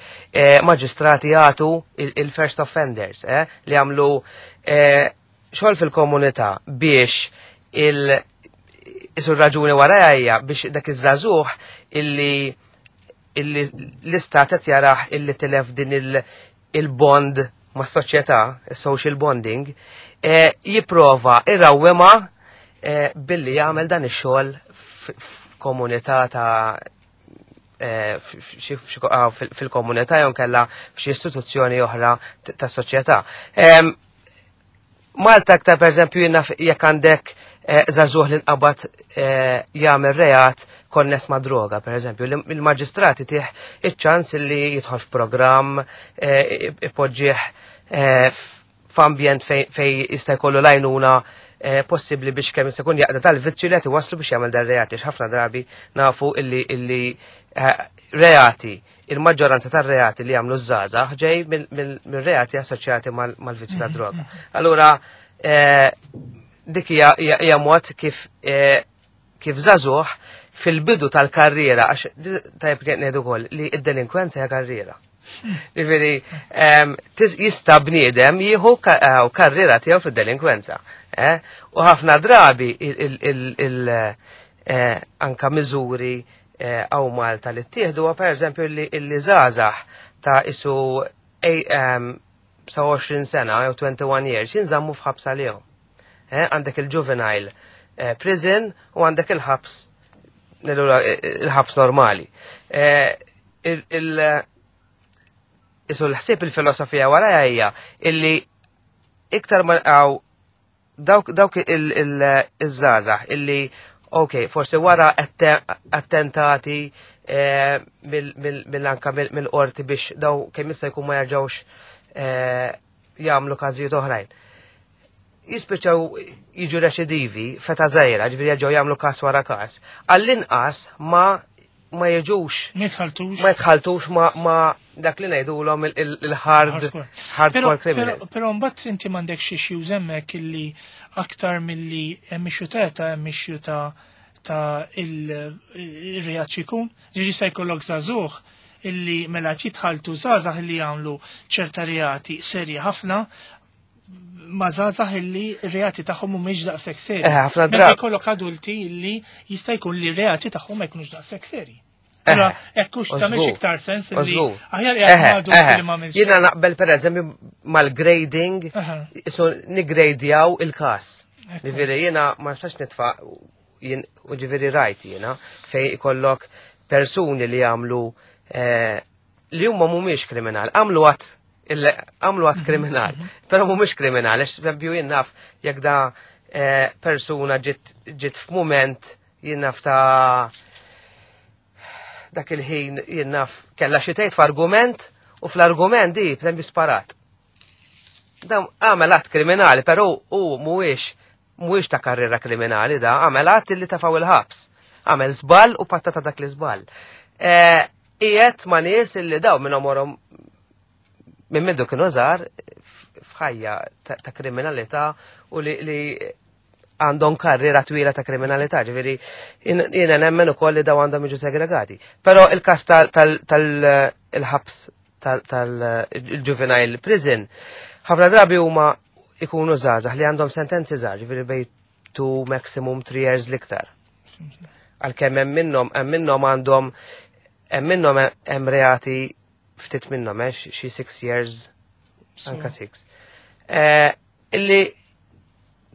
maġistrati jagħtu il-first offenders, eh, li għamlu xogħol fil-komunità biex il isu raġuni wara hija biex dak iż-żagħżugħ illi illi l-istat qed jarah illi tilef din il-bond mas-soċjetà, is-social bonding, jipprova irrawwema billi jagħmel dan ix-xogħol f'komunità ta' fil-komunità jew kellha f'xi istituzzjoni oħra tas-soċjetà. Malta aktar pereżempju jiena jekk għandek żagħżugħ li nqabad jagħmel reat konness ma' droga, pereżempju, il-maġistrati tih iċ-ċans li jidħol f'programm, ipoġġih f'ambjent fejn jista' jkollu l-għajnuna possibbli biex kemm jista' jkun jaqda tal-vizzju li qed iwasslu biex jagħmel dan reati. Ħafna drabi nafu illi illi reati, il-maġġoranza tar-reati li jagħmlu ż-żgħażagħ ġej minn reati assoċjati mal-vizzju tad-droga. Allura dik hija mod kif kif żagħżugħ fil-bidu tal-karriera, għax tajjeb ngħidu wkoll li d-delinkwenza hija karriera. Ġifieri jista' bniedem jieħu karriera tiegħu fid-delinkwenza. U ħafna drabi anka miżuri għaw Malta li ttieħdu huwa pereżempju li żgħażagħ ta' isu sa għoxrin sena jew twenty-one years jinżammu f'ħabs għalihom. Għandek il-juvenile prison u għandek il-ħabs il-ħabs normali. Isu l-ħsieb il-filosofija wara hija illi iktar ma għaw dawk dawk il-żgħażagħ illi ok, forsi wara attentati mill-anka mill-qorti biex daw kemm jista' jkun ma jerġgħux jagħmlu każijiet oħrajn. Jispiċċaw jiġu reċidivi feta żgħira, ġifieri jerġgħu jagħmlu każ wara każ. Għall-inqas ma ma jiġux ma jitħaltux ma jitħaltux ma dak li ngħidulhom il-hard hardcore criminals. Però mbagħad inti m'għandekx issues hemmhekk illi aktar milli hemm issue ta' età hemm issue ta' ta' il-reat xi jkun. Li jista' jkollok żagħżugħ illi mela jitħaltu żgħażagħ illi jagħmlu ċerta reati serji ħafna ma' żgħażagħ illi r-reati tagħhom mhumiex daqshekk seri. Ħafna Meta drabi. jkollok adulti illi jista' jkun li r-reati tagħhom ma jkunux daqshekk seri. Allura hekk hux tagħmilx iktar sens li aħjar qiegħed li ma Jiena naqbel pereżempju mal-grading, so nigradjaw il-każ. Ġifieri jiena ma nistax nitfa' jien u ġifieri rajt jiena fejn ikollok persuni li jagħmlu eh, li huma mhumiex kriminal, għamlu att għamlu att kriminal, però mhumiex kriminal, għax eżempju jien naf jekk da eh, persuna ġiet ġiet f'mument jien naf ta' dak il-ħin jien naf kellha xi tgħid f'argument u fl-argument di b'tempi sparat. Dan għamel att kriminali, però u mhuwiex mhuwiex ta' karriera kriminali da, għamel att li tefgħu il-ħabs. Għamel żball u patta ta' dak l-iżball. Eh, qiegħed ma' nies illi daw minn omorhom minn mindu kienu żgħar f'ħajja ta' kriminalità u li għandhom karriera twila ta' kriminalità, ġifieri jiena nemmen ukoll li daw għandhom jiġu segregati. Però il-każ tal-ħabs tal-juvenile prison, ħafna drabi huma ikunu żgħażagħ li għandhom sentenzi żgħar, ġifieri bejn two maximum three years l-iktar. Għalkemm hemm minnhom hemm minnhom għandhom hemm minnhom hemm reati ftit minnhom eh, xi six years anka six. Eh, illi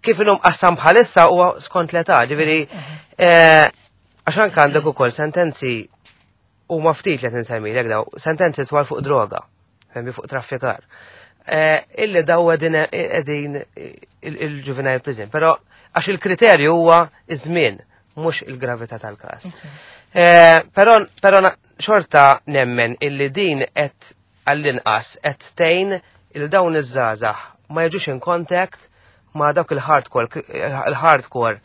kif inhom qassam bħalissa huwa skont l-età, ġifieri eh, għax anke għandek ukoll sentenzi huma ftit li qed insemmilek daw, sentenzi twal fuq droga, femmi fuq traffikar. Eh, illi daw qegħdin il-juvenile prison, però għax il-kriterju huwa iż-żmien, mhux il-gravità tal-każ. Però però xorta nemmen illi din qed għall-inqas qed tgħin il dawn iż-żgħażagħ ma jiġux in contact ma dawk il-hardcore il-hardcore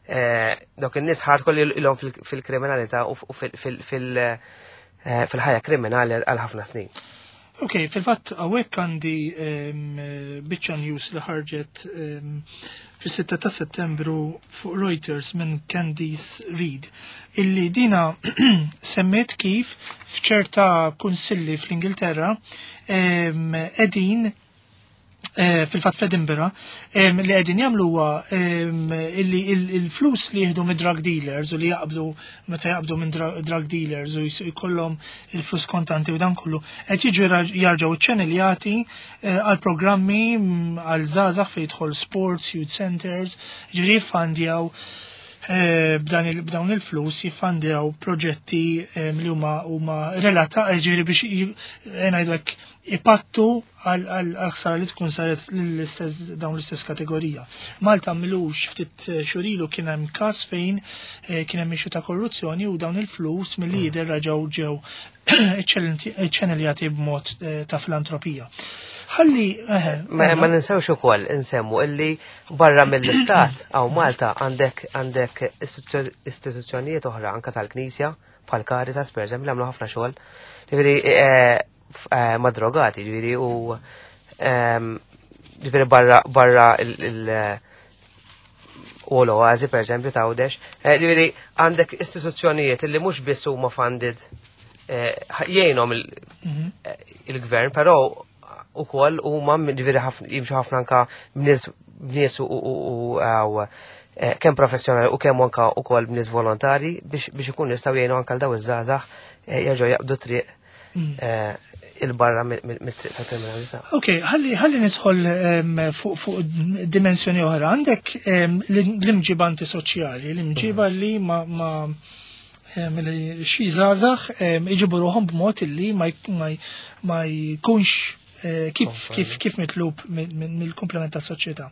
eh, dawk in-nies hardcore li ilhom fil-kriminalità u fil-ħajja kriminali għal ħafna snin. Ok, fil-fatt hawnhekk għandi biċċa news li ħarġet fis-sitta ta' Settembru fuq Reuters minn Candice Reed illi dina semmiet kif f'ċerta kunsilli fl-Ingilterra qegħdin eh, fil-fatt f'Edinburgh li qegħdin jagħmlu huwa illi il-flus li jieħdu minn drug dealers u li jaqbdu meta jaqbdu minn drug dealers u jkollhom il-flus kontanti u dan kollu qed jiġu jarġgħu ċċanneljati eh, għal programmi mm, għal żgħażagħ fejn jidħol sports, youth centers, ġifieri jiffandjaw eh, b'dawn il-flus jiffandjaw proġetti li huma huma relata ġifieri biex ngħidu hekk ipattu għal ħsara li tkun saret l-istess dawn l-istess kategorija. Malta m'ilux ftit xhur ilu kien hemm każ fejn eh, kien hemm issue ta' korruzzjoni u dawn il-flus mill-lider raġgħu ġew ċċanneljati b'mod eh, ta' filantropija. Ħalli eh, Ma ma ninsewx ukoll insemmu illi barra mill-istat hawn Malta għandek għandek istituzzjonijiet oħra anka tal-Knisja bħal Caritas pereżempju li għamlu ħafna xogħol. Ġifieri ma' drogati, ġifieri u ġifieri barra barra il- u l-Oazi per eżempju ta' Għawdex. Ġifieri għandek istituzzjonijiet li mhux biss huma funded jgħinhom il-gvern, però ukoll huma ġifieri jimxu ħafna anka b'nies u kemm professjonali u kemm anka ukoll b'nies volontari biex ikun jistgħu jgħinu anka l daw iż-żgħażagħ jerġgħu jaqbdu triq il-barra mit-triq ta' kriminalità. Ok, ħalli ħalli nidħol fuq fuq dimensjoni oħra. Għandek l-imġiba antisoċjali, l-imġiba li ma ma xi żgħażagħ iġibu ruħhom b'mod illi ma jkunx kif kif kif mitlub mill-komplement tas-soċjetà.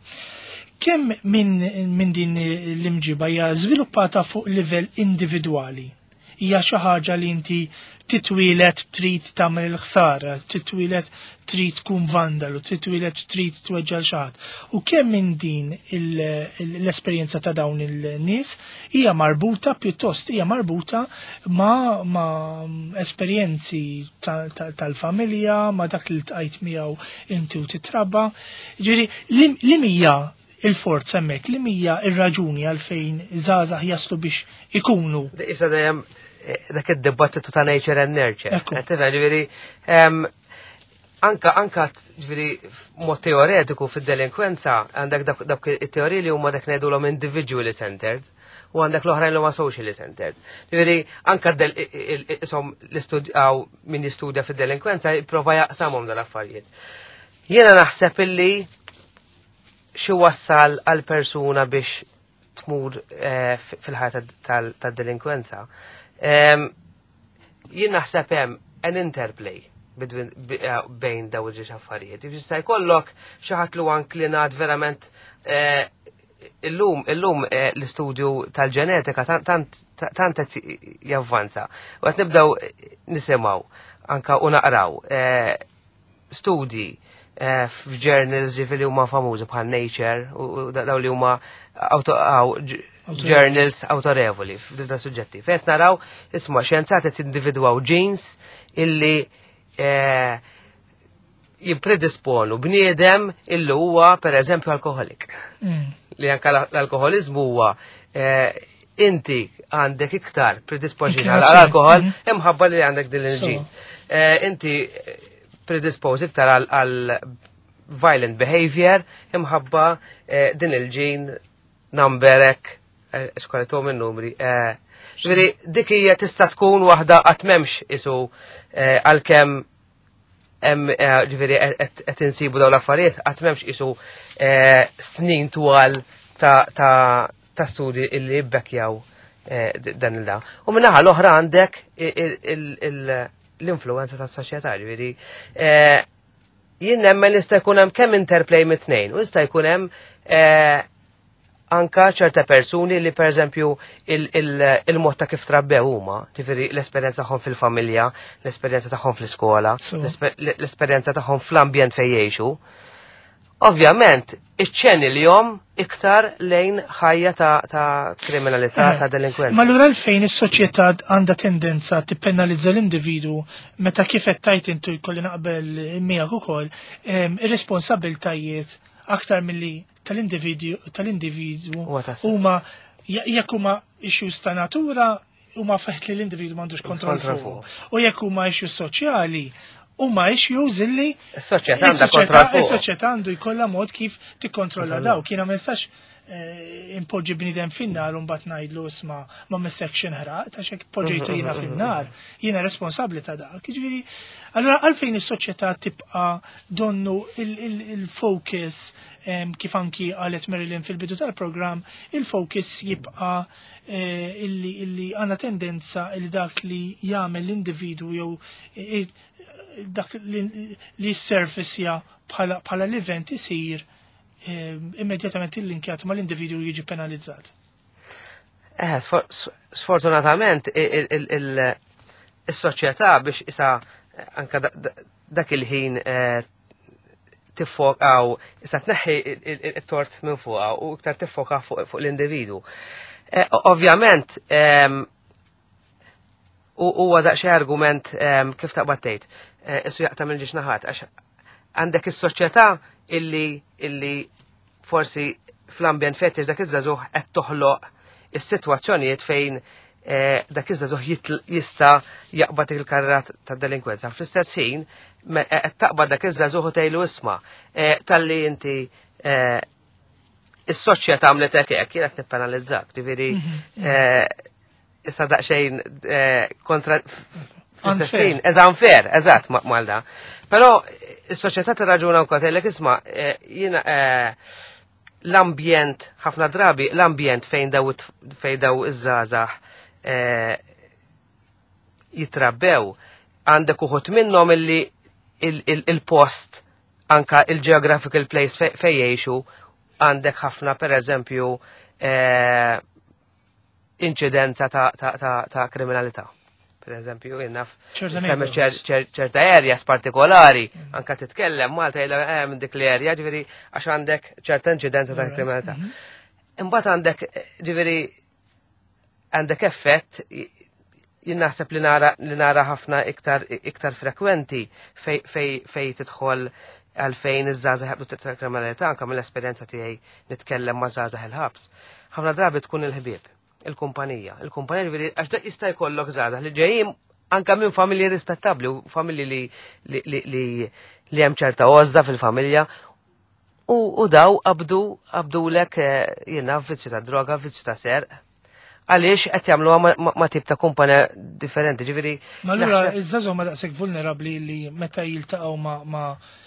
Kemm minn min din l-imġiba hija żviluppata fuq livell individwali? Hija xi ħaġa li inti titwieled trid tagħmel il-ħsara, titwieled trid tkun vandalu, titwieled trid tweġġa' xi ħadd. U kemm minn din l-esperjenza ta' dawn il-nies hija marbuta pjuttost hija marbuta ma', ma esperjenzi tal-familja, ma' dak li ltqajt miegħu inti u titrabba. Ġifieri li hija il-forza hemmhekk, li hija ir-raġuni għalfejn żgħażagħ jaslu biex ikunu. Issa dejjem dak id-dibattitu ta' nature and nurture. Tifhem, ġifieri Anka, anka, ġifieri, mod teoretiku fid-delinkwenza, għandek dak it-teoriji li huma dak ngħidulhom individually centered u għandek l-oħrajn li huma socially centered. Ġifieri, anka isom l-istudjaw min jistudja fid-delinkwenza jipprova jaqsamhom dal-affarijiet. Jiena naħseb illi xi wassal għal persuna biex tmur eh, fil-ħajja tad-delinkwenza. Jien naħseb hemm an interplay eh, bejn daw il-ġiex affarijiet. Jista' jkollok xi ħadd li huwa inklinat verament eh, illum illum l-istudju tal-ġenetika tant qed javvanza. U qed nibdew nisimgħu anka u naqraw studji f'journals ġifieri huma famużi bħal Nature u daw li huma journals autorevoli f'da suġġetti. Fejn naraw isma' xjenzati qed individwaw genes illi eh, jippredisponu bniedem illi huwa per eżempju alkoholik. Mm. Li anka l-alkoholizmu huwa eh, inti għandek iktar predispożizzjoni għall-alkohol mm-hmm. imħabba li għandek din il-ġin. Eh, inti predisposed iktar għal violent behavior imħabba din il-ġin numberek xkoletom il-numri. Ġifieri, dik hija tista' tkun waħda qatt m'hemmx isu għalkemm hemm ġifieri qed insibu dawn l-affarijiet qatt m'hemmx isu snin twal ta' ta' studji illi jibbekkjaw dan il-da. U minnaħa l-oħra għandek l-influenza tas-soċjetà, ġifieri jien nemmen li jista' jkun hemm kemm interplay mit-tnejn u jista' jkun hemm anka ċerta persuni li per eżempju il-mod ta' kif trabbew huma, ġifieri l-esperjenza tagħhom fil-familja, l-esperjenza tagħhom fl-iskola, l-esperjenza tagħhom fl-ambjent fejn jgħixu. Ovvjament, iċ-ċeni li jom iktar lejn ħajja ta' kriminalità, ta' delinkwenza. Ma allura għalfejn is-soċjetà għandha tendenza tippenalizza l-individu meta kif qed tajt intu jkolli naqbel miegħek ukoll ir-responsabiltajiet aktar milli tal-individu tal-individu huma jekk huma issues ta' natura huma feħt li l-individu m'għandux kontroll fuq. U jekk huma issues soċjali huma issues illi is-soċjetà għandha kontroll fuq. Is-soċjetà għandu jkollha mod kif tikkontrolla daw. Kiena ma nistax impoġġi bniedem fin-nar u mbagħad ngħidlu isma' ma missekx inħraq ta' xek poġġejtu jiena fin-nar, jiena responsabbli ta' dak. Jiġifieri, allura għalfejn is-soċjetà tibqa' donnu il-focus kif anki qalet Marilyn fil-bidu tal-programm, il-focus jibqa' illi għandna tendenza li dak li jagħmel l-individwu jew dak li s-surface bħala l-event isir immedjatament il-linkjat ma l-individu jiġi penalizzat. Eh, sfortunatament il-soċjetà biex isa anka dak il-ħin tiffokaw, issa tneħħi il-tort minn fuqha u iktar tiffoka fuq l-individu. Ovvjament, u huwa daqsxejn argument kif taqbad tgħid, issu jaqta' minn ġiex naħat għax għandek is-soċjetà illi illi forsi fl-ambjent fejn dak iż-żagħżugħ qed toħloq is-sitwazzjonijiet fejn dak iż-żagħżugħ jista' jaqbad il-karriera tad-delinkwenza. Fl-istess ħin qed taqbad dak iż-żagħżugħ u tgħidlu isma' talli inti is-soċjetà għamlet hekk hekk jien qed nippenalizzak. Ġifieri issa daqsxejn kontra Unfair. Eżatt, unfair, eżatt Malda. Però is-soċjetà tirraġuna wkoll tgħidlek isma' jiena l-ambjent ħafna drabi l-ambjent fejn daw fejn daw iż-żgħażagħ jitrabbew għandek uħud minnhom illi il-post anka il-geographical place fejn jgħixu għandek ħafna pereżempju inċidenza ta' kriminalità. Per eżempju, jinnaf, ċerta areas partikolari, anka titkellem Malta jilla minn dik l-area, ġifieri għax għandek ċerta inċidenza ta' kriminalità. Imbagħad għandek, ġifieri, għandek effett, jien naħseb li nara li nara ħafna iktar iktar frekwenti fej fej tidħol għalfejn iż-żgħażagħ jaqbdu ta' kriminalità, anke mill-esperjenza tiegħi nitkellem ma' żgħażagħ il-ħabs. Ħafna drabi tkun il-ħbieb, il-kumpanija. Il-kumpanija ġifieri għax dak jista' jkollok żgħażagħ li ġejjin Anka minn familji rispettabli u familji li li li li li hemm ċerta għożża fil-familja u, u daw qabdu qabdulek eh, jiena vizzju ta' droga, vizzju ta' serq. Għaliex qed jagħmluha ma, ma, ma tip ta' kumpanja differenti, ġifieri. Ma allura naħseb- iż-żgħażagħ ma daqshekk vulnerabbli li meta jiltaqgħu ma ma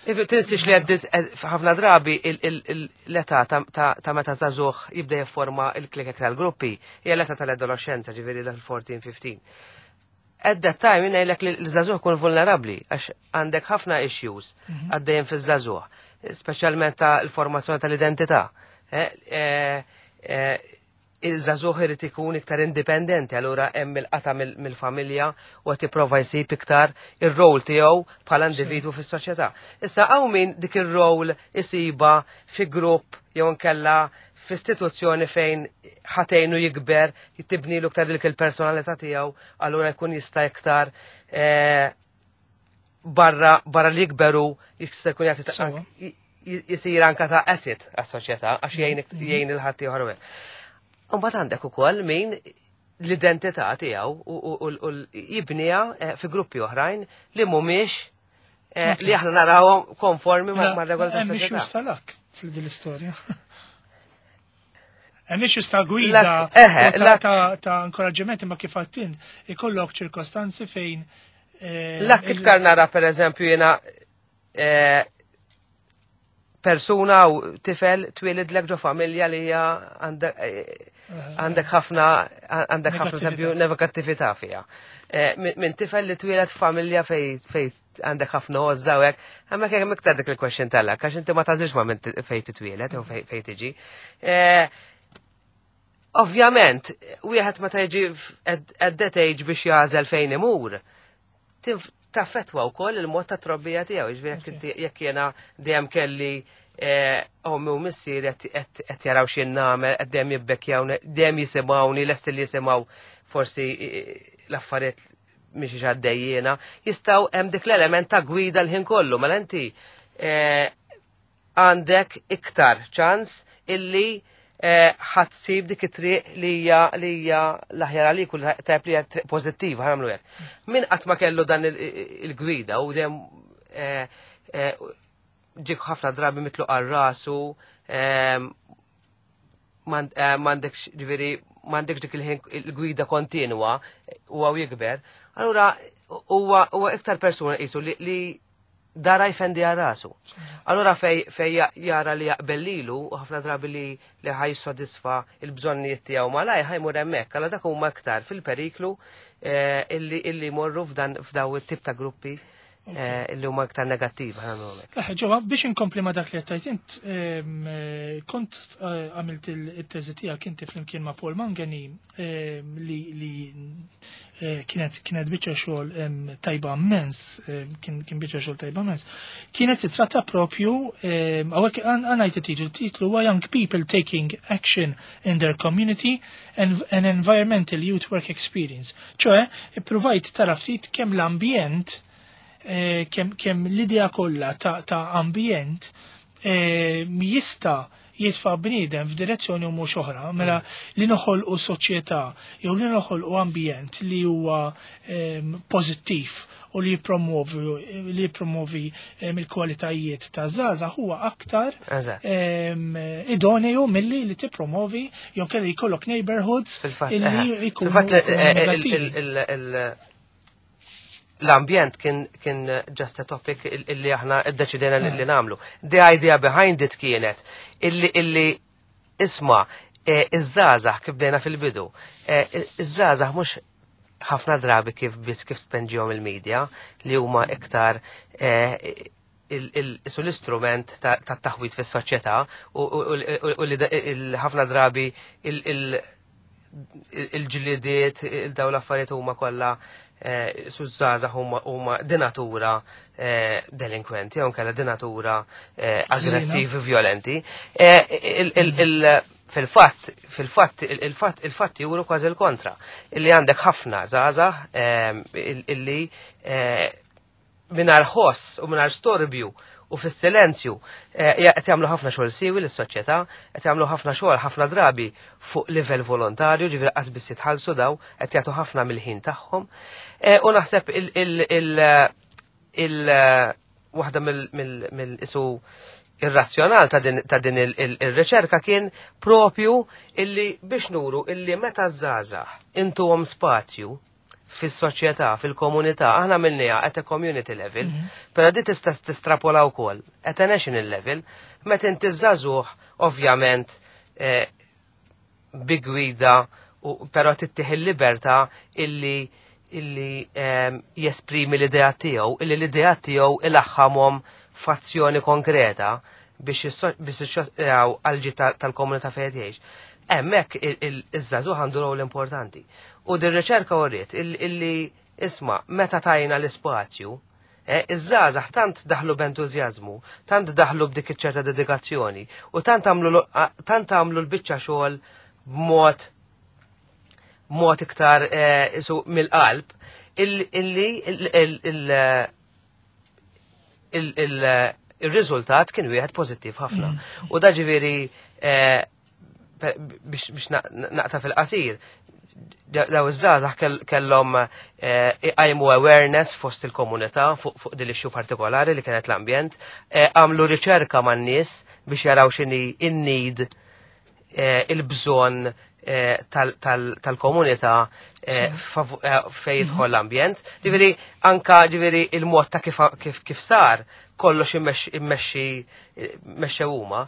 If tinsix li għaddit ħafna drabi il- il- il- l-età ta- ta' ta' meta żagħżugħ jibda jifforma il-klikek tal-gruppi hija l-età tal-adolescenza, ġifieri l-erbatax ħmistax. At that time jien li l-żagħżugħ kun vulnerabbli għax għandek ħafna issues għaddejjem fiż-żagħżugħ, speċjalment ta' l-formazzjoni tal-identità. Eh, eh, eh, Il-żagħżugħ irid ikun iktar indipendenti, allura hemm il-qata mill- mill-familja u qed jipprova jsib iktar ir-rol tiegħu bħala individwu fis-soċjetà. Issa hawn min dik ir-rol isiba fi grupp jew inkella f'istituzzjoni fejn ħa tgħinu jikber, jittibnilu iktar dik il-personalità tiegħu, allura jkun jista' iktar eh, barra barra li jikberu jista' jkun jagħti ta' Sewa. j- jisir anka ta' asset għas-soċjetà għax jgħin jgħin il-ħadd ieħor hekk. Imbagħad għandek ukoll min l-identità tiegħu u- u u- u jibniha eh, fi gruppi oħrajn li mhumiex eh, li aħna narawhom konformi ma' ma' regola Hemm tas-soċjetà. issues tal-luck fil-din l-istorja. Hemm issues ta' gwida Luck, eħe, u ta' luck. ta' ta' inkoraġġiment, imma kif għattint ikollok ċirkostanzi fejn eh, Luck il- iktar nara per eżempju jiena eh, persuna u tifel twilidlek ġo familja li hija għandek eh, għandek ħafna għandek ħafna Negattività. eżempju negattività fiha. Eh, Min min tifel li twieled familja fej fej għandek ħafna għożża u hekk, hemmhekk hemm iktar dik il-question tal-luck, għax inti ma tagħżilx ma minn fej titwieled jew fej fej tiġi. Eh, Ovvjament, wieħed meta jiġi f- at at that age biex jagħżel fejn imur, tinf- taffetwa wkoll il-mod ta' trobbija tiegħu, jiġifieri jekk inti jekk jiena dejjem kelli eh, ommi u missieri qed- qed qed jaraw x'jien nagħmel, qed dejjem jibbekkjawni, dejjem jisimgħuni, lest li jisimgħu forsi eh, l-affarijiet mhix għaddejjiena, jistgħu hemm dik l-element ta' gwida l-ħin kollu, mela inti eh, għandek iktar ċans illi eh, ħa ssib dik it-triq li hija li hija l-aħjar għalik u tajb li hija triq pożittiva, ħa nagħmlu hekk. Min qatt ma kellu dan il- il-gwida u dejjem eh, eh, ġik ħafna drabi mitlu għal rasu, eh, m'għand- eh, m'għandekx ġifieri m'għandekx dik il-ħin il-gwida kontinwa u għaw jikber, allura huwa huwa iktar persuna qisu li, li dara jfendi għal rasu. Allura fej, fej ja- jara li jaqbel lilu u ħafna drabi li li ħa jissodisfa il-bżonnijiet tiegħu malaj ħa jmur hemmhekk, allura dak huma iktar fil-periklu eh, illi illi jmorru f'dan f'daw it-tip ta' gruppi eh, illi huma iktar negattivi, ħa nagħmlu hekk. Eħe, ġewwa, biex inkompli ma dak li għattajt int, em, eh, kont eh, għamilt il-teżi tiegħek inti flimkien ma' Paul Mangani em, li li eh, kienet kienet biċċa xogħol em, tajba immens, em, kien kien biċċa xogħol tajba immens. Kienet titratta propju, em, hawnhekk għanajt it-titlu, il-titlu huwa "Young People Taking Action in Their Community and an Environmental Youth Work Experience". ċoè, ippruvajt tara ftit kemm l-ambjent eh, kemm kem l-idea kollha ta', ta' ambjent eh, jista' jitfa' bniedem f'direzzjoni u mhux oħra, mela li noħolqu soċjetà jew li noħolqu ambjent li huwa em, pożittiv u li jippromovi li jippromovi em, il-kwalitajiet ta' żgħażagħ huwa aktar Eżatt. em, idoneu milli li tippromovi jew kelli jkollok neighborhoods Fil-fatt, illi eħe. jkunu Fil-fatt, eh, eh, il- negattivi. il- il- il- l-ambjent kien kien just a topic il- illi aħna iddeċidejna li li nagħmlu. The idea behind it kienet illi illi isma' eh, iż-żgħażagħ kif bdejna fil-bidu. eh, Iż-żgħażagħ mhux ħafna drabi kif biss kif tpenġihom il-medja li huma iktar eh, il- il- isu l-istrument ta' ta' taħwit fis-soċjetà u u- u- u li da- il- ħafna drabi il- il- il-ġlidiet, il-daw l-affarijiet huma kollha eh, suż-żgħażagħ huma huma di natura eh, delinkwenti, jew nkella di natura eh, aggressivi, violenti. Eh, il- il- il- Fil-fatt, fil-fatt, il-fatt, il-fatt juru kważi il-kontra. Illi għandek ħafna żgħażagħ eh, il- illi eh, mingħajr ħoss u mingħajr storbju U fis-silenzju eh, qed jagħmlu ħafna xogħol siwi lis-soċjetà, qed jagħmlu ħafna xogħol ħafna drabi fuq livell volontarju, ġifieri qas biss jitħallsu daw, qed jagħtu ħafna mill-ħin tagħhom. Eh, u naħseb il- il- il- il- waħda mill-isu ir-razzjonal ta' din, ta' din il-riċerka kien propju illi biex nuru illi meta żgħażagħ intuhom spazju fis-soċjetà, fil-komunità, aħna minniha at a community level, mm -hmm. però di tista' tistrapola wkoll at a national level, meta inti żagħżugħ ovvjament eh, bi gwida, però tittih il-libertà illi illi eh, jesprimi l-idea tiegħu, illi l-idea tiegħu ilaħħamhom f'azzjoni konkreta biex biex għal-ġid tal-komunità fejn jgħix. Hemmhekk iż-żagħżugħ għandu rol importanti. U din riċerka uriet illi isma' meta tajna l-ispazju, eh, iż-żgħażagħ tant daħlu b'entużjażmu, tant daħlu b'dik iċ-ċerta dedikazzjoni u tant għamlu tant għamlu l-biċċa xogħol b'mod mod iktar eh, isu mill-qalb illi il-riżultat kien wieħed pożittiv ħafna. Mm. U da ġifieri eh, biex naqta' fil-qasir, daw iż-żgħażagħ kellhom eh, iqajmu awareness fost il-komunità fuq din l-issue partikolari li kienet l-ambjent, eh, għamlu riċerka man-nies biex jaraw x'inhi in-need, eh, il-bżonn tal-komunità fejn jidħol l-ambjent. Ġifieri anka ġifieri il-mod ta' kif kif sar kollox immexxi mexxew huma,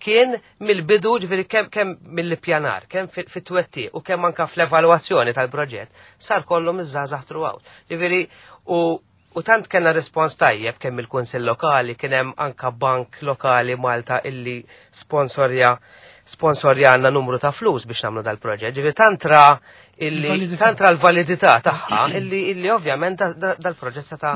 kien mill-bidu ġifieri kemm kemm mill-ippjanar, kemm fit-twettiq u kemm anka fl-evalwazzjoni tal-proġett, sar kollu miż-żgħażagħ throughout. Ġifieri u u tant kellna respons tajjeb kemm il-Kunsill Lokali, kien hemm anka bank lokali Malta illi sponsorja sponsorjana numru ta' flus biex nagħmlu dal-proġett. Ġifieri tantra illi tantra l-validità tagħha illi illi ovvjament dal-proġett seta'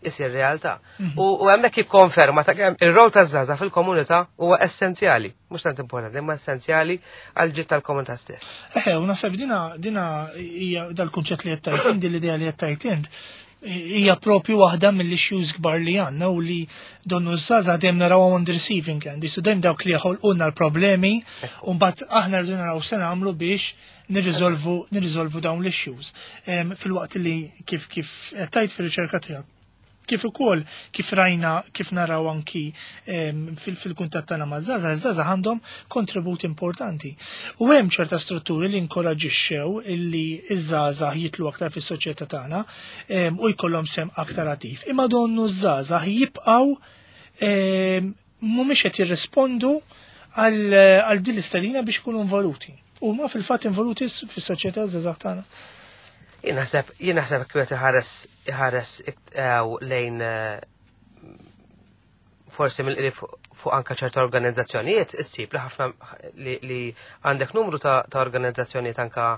isir realtà. U hemmhekk jikkonferma ta' kemm ir-rol taż-żgħażagħ fil-komunità huwa essenzjali, mhux tant importanti, imma essenzjali għal ġid tal-komunità stess. Eħe, u naħseb dina dina hija dal-kunċett li qed tajt int, l-idea li qed tajt int, hija propju waħda mill-issues kbar li għandna u li donnu żgħażagħ dejjem naraw on the receiving end. Isu dejjem dawk li joħolqulna l-problemi u mbagħad aħna rridu naraw se nagħmlu biex nirriżolvu nirriżolvu dawn l-issues. Fil-waqt li kif kif qed tajt fir-riċerka tiegħek, kif ukoll kif rajna, kif naraw anki fil-kuntatt tagħna ma' żgħażagħ, iż-żgħażagħ għandhom kontribut importanti. U hemm ċerta strutturi li inkoraġixxew illi iż-żgħażagħ jitlu aktar fis-soċjetà tagħna u jkollhom sem aktar attiv. Imma donnu ż-żgħażagħ jibqgħu mhumiex qed jirrispondu għal din l-istedina biex ikunu involuti. Huma fil-fatt involuti fis-soċjetà żgħażagħ tagħna. Jien naħseb jien naħseb kif iħares iħares lejn forsi mill-qrib fuq anka ċerta organizzazzjonijiet, issib li ħafna li għandek numru ta' organizzazzjonijiet anka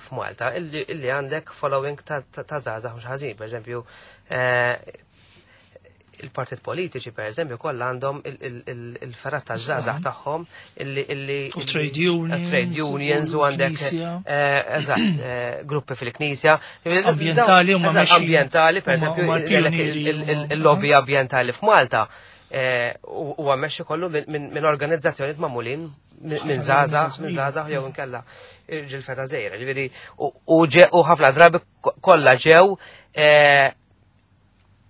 f'Malta illi għandek following ta' żgħażagħ mhux ħażin, pereżempju il-partit politiċi per eżempju kollha għandhom il-fergħat taż-żgħażagħ tagħhom illi U trade unions. Trade unions u għandek eżatt gruppi fil-knisja. Ambjentali huma ambjentali, per eżempju il-lobby ambjentali f'Malta huwa mexxi kollu minn organizzazzjonijiet magħmulin minn żgħażagħ, minn żgħażagħ jew inkella irġiel feta żgħira. Ġifieri u ħafna drabi kollha ġew,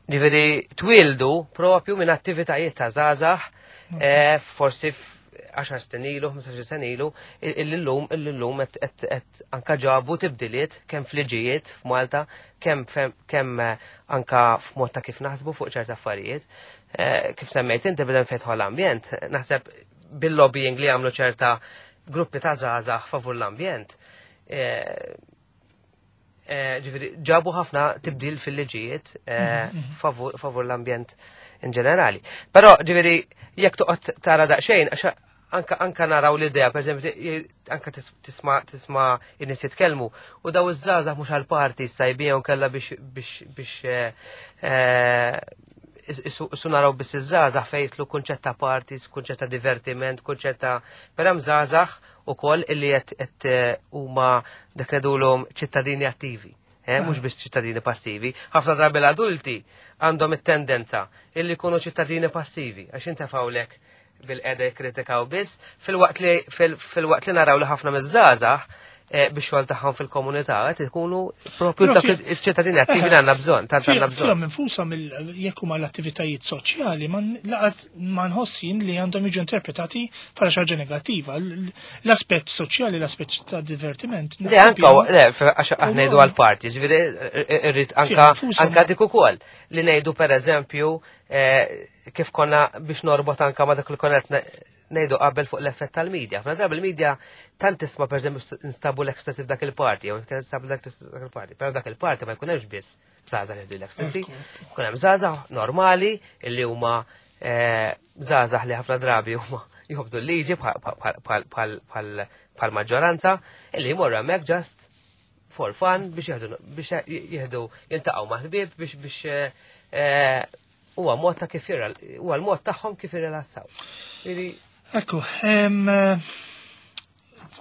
ġifieri twildu propju minn attivitajiet ta' żgħażagħ, forsi għaxar snin ilu, ħmistax-il sena ilu, illum illum qed anka ġabu tibdiliet kemm fliġijiet f'Malta, kemm kemm anka f'mod ta' kif naħsbu fuq ċerta affarijiet. Kif semmejt inti bidem fejn l-ambjent, naħseb bil-lobbying li għamlu ċerta gruppi ta' żgħażagħ favur l-ambjent. Ġifieri ġabu ħafna tibdil fil-liġijiet favur l-ambjent in ġenerali. Però ġifieri jekk toqgħod tara daqsxejn, għax anka anka naraw l-idea, per eżempju, anka tisma' tisma' in-nies jitkellmu u daw iż-żgħażagħ mhux għall-parti sajbijhom kellha biex biex biex issu naraw biss iż-żgħażagħ fejn jitlu kunċett ta' parties, kunċett ta' divertiment, kunċett ta' però hemm żgħażagħ ukoll illi qed huma dak ngħidulhom ċittadini attivi. eh, mhux biss ċittadini passivi. Ħafna drabi l-adulti għandhom it-tendenza illi jkunu ċittadini passivi, għax intefgħulek bilqiegħda jikkritikaw biss, filwaqt li fil-waqt li naraw li ħafna miż-żgħażagħ eh, biex xogħol tagħhom fil-komunità qed ikunu propju dak iċ-ċittadini attivi li għandna bżonn, tant għandna bżonn. Fihom infushom jekk huma l-attivitajiet soċjali lanqas ma nħoss jien li għandhom jiġu interpretati bħala xi ħaġa negattiva. L-aspett soċjali, l-aspett ta' divertiment. Le, anka, le, għax aħna ngħidu għal-party, ġifieri irrid anka anka dik ukoll li ngħidu, pereżempju, eh, kif konna biex norbot anka ma dak li konna ngħidu qabel fuq l-effett tal-medja. Ħafna drabi il-medja tant tisma', pereżempju, instabu l-ecstasy f'dak il-party, jew instabu dak il-party, però dak il-party ma jkun hemmx biss żgħażagħ li l-ecstasy, jkun hemm żgħażagħ normali illi huma eh, żgħażagħ li ħafna drabi huma jobdu l-liġi bħal maġġoranza, illi jmorru hemmhekk just for fun biex jieħdu biex jieħdu jiltaqgħu ma' ħbieb biex biex eh, huwa mod ta' kif huwa l-mod tagħhom kif jirrilassaw. Ekku,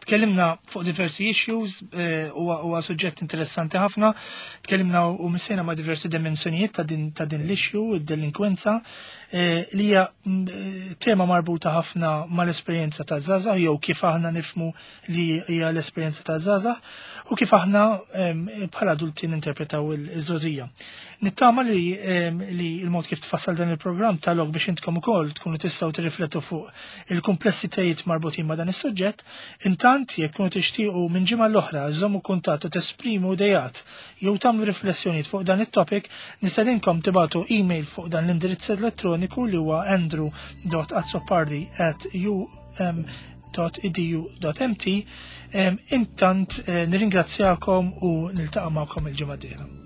tkellimna fuq diversi issues, eh, huwa suġġett interessanti ħafna. Tkellimna u missejna ma' diversi dimensjonijiet ta' din ta' din l-issue, id-delinkwenza, eh, li hija mm, eh, tema marbuta ħafna mal-esperjenza ta' żgħażagħ jew kif aħna nifhmu li hija l-esperjenza ta' żgħażagħ u kif aħna bħala adulti ninterpretaw iż-żgħożija. Nittama li li il-mod kif tfassal dan il-programm ta lok biex intkom ukoll tkunu tistgħu tirriflettu fuq il-komplessitajiet marbutin ma' dan is-suġġett. Intant, jekk kunu tixtiequ minn ġimgħa l-oħra żommu kuntatt u tesprimu ideat jew tagħmlu riflessjonijiet fuq dan it-topic, nistedinkom tibagħtu email fuq dan l-indirizz elettroniku li huwa andrew dot azzopardi at um dot edu dot M T. Intant eh, nirringrazzjakom u niltaqa' magħkom il-ġimgħa d-dieħla.